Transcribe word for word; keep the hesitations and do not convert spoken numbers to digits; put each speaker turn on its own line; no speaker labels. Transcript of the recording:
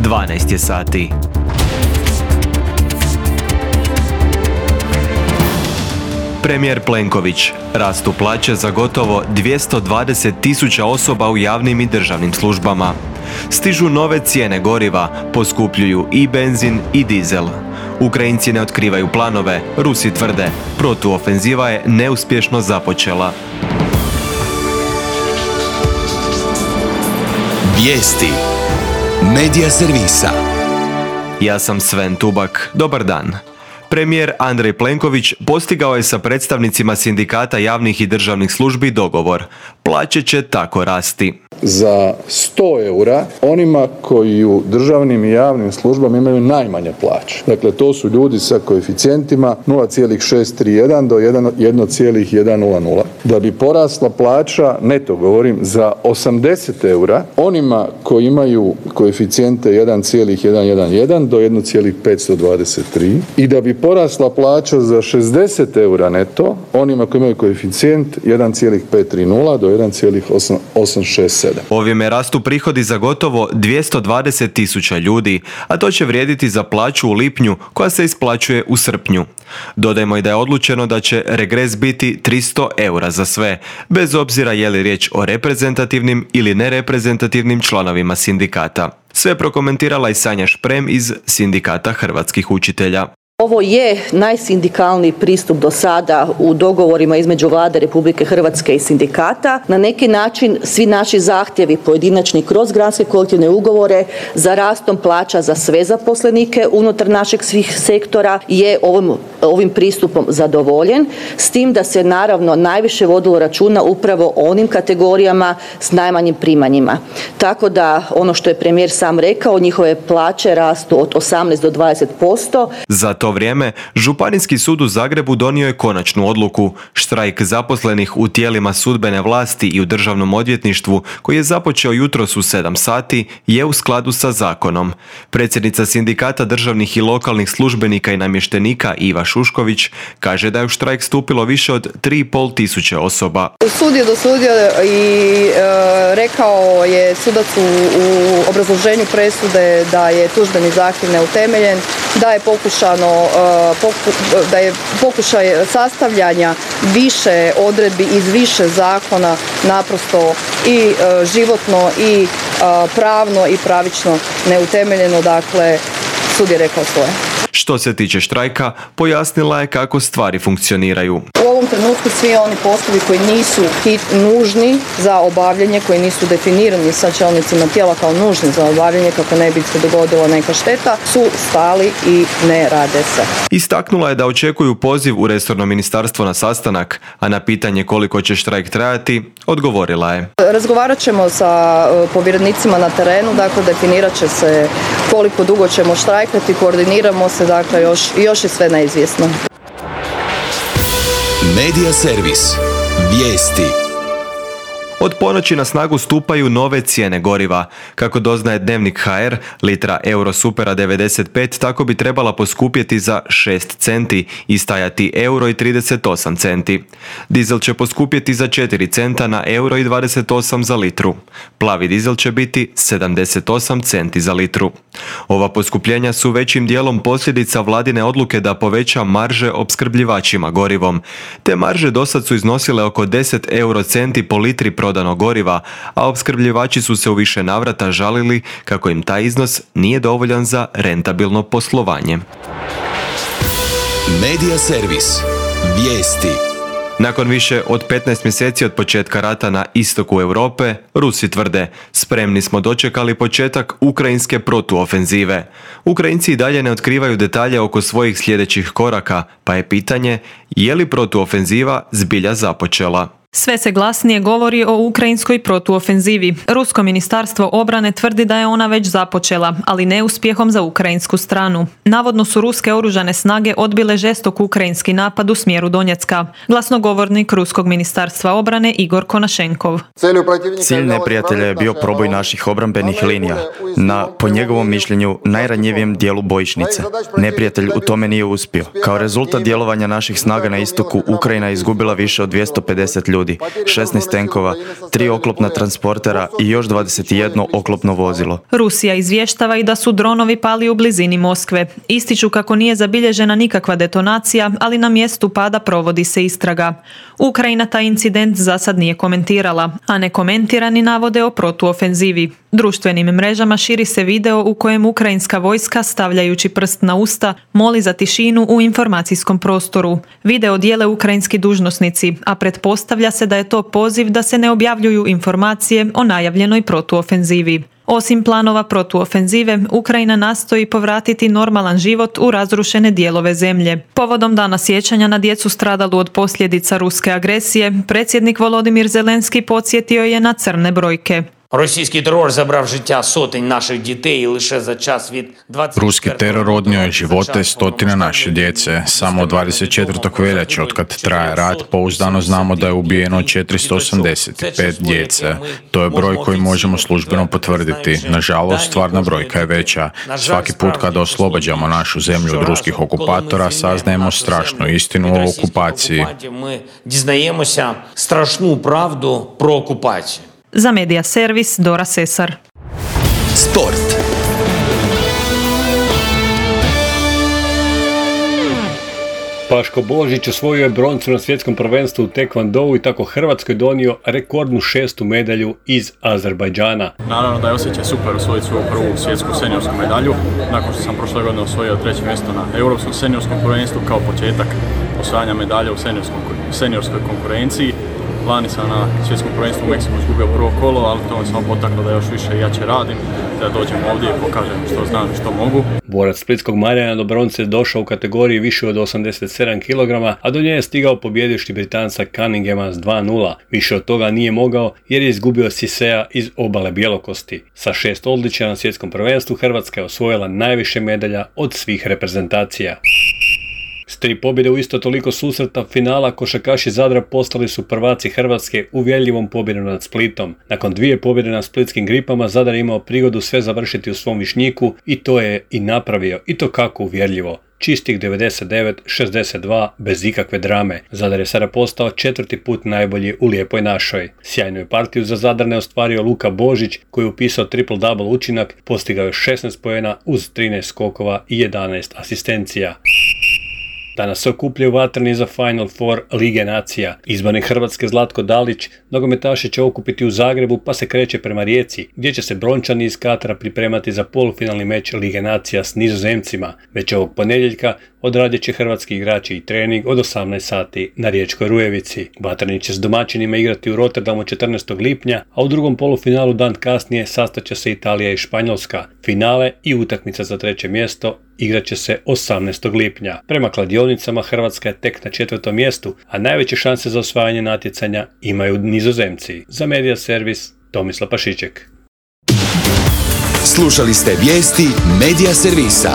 dvanaest je sati. Premijer Plenković: rastu plaće za gotovo dvjesto dvadeset tisuća osoba u javnim i državnim službama. Stižu nove cijene goriva, poskupljuju i benzin i dizel. Ukrajinci ne otkrivaju planove, Rusi tvrde, protuofenziva je neuspješno započela.
Vijesti Medija servisa.
Ja sam Sven Tubak, dobar dan. Premijer Andrej Plenković postigao je sa predstavnicima sindikata javnih i državnih službi dogovor. Plaće će tako rasti.
Za sto eura onima koji u državnim i javnim službama imaju najmanje plaće. Dakle, to su ljudi sa koeficijentima nula zarez šest tri jedan do jedan zarez jedan nula nula. Da bi porasla plaća, neto govorim, za osamdeset eura onima koji imaju koeficijente jedan zarez jedan jedan jedan do jedan zarez petsto dvadeset tri i da bi porasla plaća za šezdeset eura neto onima koji imaju koeficijent jedan zarez pet tri nula do jedan zarez osam šest sedam.
Ovime rastu prihodi za gotovo dvjesto dvadeset tisuća ljudi, a to će vrijediti za plaću u lipnju koja se isplaćuje u srpnju. Dodajmo i da je odlučeno da će regres biti tristo eura za sve, bez obzira je li riječ o reprezentativnim ili nereprezentativnim članovima sindikata. Sve prokomentirala i Sanja Šprem iz Sindikata hrvatskih učitelja.
Ovo je najsindikalniji pristup do sada u dogovorima između Vlade Republike Hrvatske i sindikata. Na neki način svi naši zahtjevi pojedinačni kroz granske kolektivne ugovore za rastom plaća za sve zaposlenike unutar našeg svih sektora je ovim, ovim pristupom zadovoljen, s tim da se naravno najviše vodilo računa upravo o onim kategorijama s najmanjim primanjima. Tako da ono što je premijer sam rekao, njihove plaće rastu od osamnaest do dvadeset posto.
Za to vrijeme, Županijski sud u Zagrebu donio je konačnu odluku. Štrajk zaposlenih u tijelima sudbene vlasti i u državnom odvjetništvu, koji je započeo jutros u sedam sati, je u skladu sa zakonom. Predsjednica Sindikata državnih i lokalnih službenika i namještenika Iva Šušković kaže da je u štrajk stupilo više od tri i pol tisuće osoba.
Sud je dosudio i e, rekao je sudac u, u obrazloženju presude da je tužbeni zahtjev neutemeljen, da je pokušano da je pokušaj sastavljanja više odredbi iz više zakona naprosto i životno i pravno i pravično neutemeljeno, dakle sud je rekao svoje.
Što se tiče štrajka, pojasnila je kako stvari funkcioniraju.
U ovom trenutku svi oni poslovi koji nisu hit, nužni za obavljanje, koji nisu definirani sa čelnicima tijela kao nužni za obavljanje kako ne bi se dogodila neka šteta, su stali i ne rade se.
Istaknula je da očekuju poziv u resorno ministarstvo na sastanak, a na pitanje koliko će štrajk trajati, odgovorila je.
Razgovarat ćemo sa povjerenicima na terenu, dakle definirat će se koliko dugo ćemo štrajkati, koordiniramo se, dakle još, još je sve neizvjesno.
Medija servis. Vijesti.
Od ponoći na snagu stupaju nove cijene goriva. Kako doznaje Dnevnik ha er, litra Eurosupera devedeset pet tako bi trebala poskupjeti za šest centi i stajati euro i trideset osam centi. Dizel će poskupjeti za četiri centa na euro i dvadeset osam za litru. Plavi dizel će biti sedamdeset osam centi za litru. Ova poskupljenja su većim dijelom posljedica vladine odluke da poveća marže opskrbljivačima gorivom. Te marže dosad su iznosile oko deset euro centi po litri prodanog goriva, a opskrbljivači su se u više navrata žalili kako im taj iznos nije dovoljan za rentabilno poslovanje.
Medija servis. Vijesti.
Nakon više od petnaest mjeseci od početka rata na istoku Europe, Rusi tvrde, spremni smo dočekali početak ukrajinske protuofenzive. Ukrajinci i dalje ne otkrivaju detalje oko svojih sljedećih koraka, pa je pitanje je li protuofenziva zbilja započela.
Sve se glasnije govori o ukrajinskoj protuofenzivi. Rusko ministarstvo obrane tvrdi da je ona već započela, ali neuspjehom za ukrajinsku stranu. Navodno su ruske oružane snage odbile žestok ukrajinski napad u smjeru Donjecka. Glasnogovornik Ruskog ministarstva obrane Igor Konašenkov.
Cilj neprijatelja je bio proboj naših obrambenih linija na, po njegovom mišljenju, najranjivijem dijelu bojišnice. Neprijatelj u tome nije uspio. Kao rezultat djelovanja naših snaga na istoku, Ukrajina je izgubila više od dvjesto pedeset ljudi. ljudi, šesnaest tenkova, tri oklopna transportera i još dvadeset jedno oklopno vozilo.
Rusija izvještava i da su dronovi pali u blizini Moskve. Ističu kako nije zabilježena nikakva detonacija, ali na mjestu pada provodi se istraga. Ukrajina taj incident za sad nije komentirala, a nekomentirani navode o protuofenzivi. Društvenim mrežama širi se video u kojem ukrajinska vojska, stavljajući prst na usta, moli za tišinu u informacijskom prostoru. Video dijele ukrajinski dužnosnici, a pretpostavlja se da je to poziv da se ne objavljuju informacije o najavljenoj protuofenzivi. Osim planova protuofenzive, Ukrajina nastoji povratiti normalan život u razrušene dijelove zemlje. Povodom Dana sjećanja na djecu stradalu od posljedica ruske agresije, predsjednik Volodimir Zelenski podsjetio je na crne brojke.
Російський терор забрав життя сотень наших дітей і лише за час від двадцять четвертого
Ruski teror odnio je živote stotina naše djece. Samo od dvadeset četvrtog veljače, otkad traje rat, pouzdano znamo da je ubijeno četiristo osamdeset pet djece. To je broj koji možemo službeno potvrditi. Nažalost, stvarna brojka je veća. Svaki put kada oslobađamo našu zemlju od ruskih okupatora, saznajemo strašnu istinu o okupaciji.
Ми дізнаємося страшну правду про окупацію.
Za Medija servis Dora Sesar.
Sport.
Paško Božić osvojio je broncu na svjetskom prvenstvu u tekvondou i tako Hrvatskoj donio rekordnu šestu medalju iz Azerbajdžana.
Naravno da je osjećaj super osvojiti svoju prvu svjetsku seniorsku medalju, nakon što sam prošle godine osvojio treće mjesto na europskom seniorskom prvenstvu kao početak osvajanja medalja u seniorskoj konkurenciji. Lani sam na svjetskom prvenstvu u Meksiku izgubio prvo kolo, ali to me samo potaklo da još više i jače radim, da dođem ovdje i pokažem što znam i što mogu.
Borac splitskog Marjana do bronce došao u kategoriji više od osamdeset sedam kilograma, a do nje je stigao pobjedivši Britanca Cunninghama s dva nula. Više od toga nije mogao jer je izgubio Sisea iz Obale Bjelokosti. Sa šest odličja na svjetskom prvenstvu Hrvatska je osvojila najviše medalja od svih reprezentacija. S tri pobjede u isto toliko susreta finala košarkaši Zadra postali su prvaci Hrvatske uvjerljivom pobjedom nad Splitom. Nakon dvije pobjede na splitskim Gripama Zadar je imao prigodu sve završiti u svom Višnjiku i to je i napravio, i to kako uvjerljivo. Čistih devedeset devet šezdeset dva bez ikakve drame. Zadar je sada postao četvrti put najbolji u Lijepoj našoj. Sjajnu je partiju za Zadar ne ostvario Luka Božić koji je upisao triple-double učinak, postigao je šesnaest poena uz trinaest skokova i jedanaest asistencija. Danas se okupljaju vatreni za Final Four Lige nacija. Izbornik Hrvatske Zlatko Dalić nogometaše će okupiti u Zagrebu pa se kreće prema Rijeci, gdje će se Brončani iz Katara pripremati za polufinalni meč Lige nacija s Nizozemcima. Već ovog ponedjeljka odradit će hrvatski igrači i trening od osamnaest sati na Riječkoj Rujevici. Vatreni će s domaćinima igrati u Rotterdamu četrnaestog lipnja, a u drugom polufinalu dan kasnije sastaće se Italija i Španjolska. Finale i utakmica za treće mjesto igrat će se osamnaestog lipnja. Prema kladionicama Hrvatska je tek na četvrtom mjestu, a najveće šanse za osvajanje natjecanja imaju Nizozemci. Za Medija servis Tomislav Pašiček.
Slušali ste vijesti Medija servisa.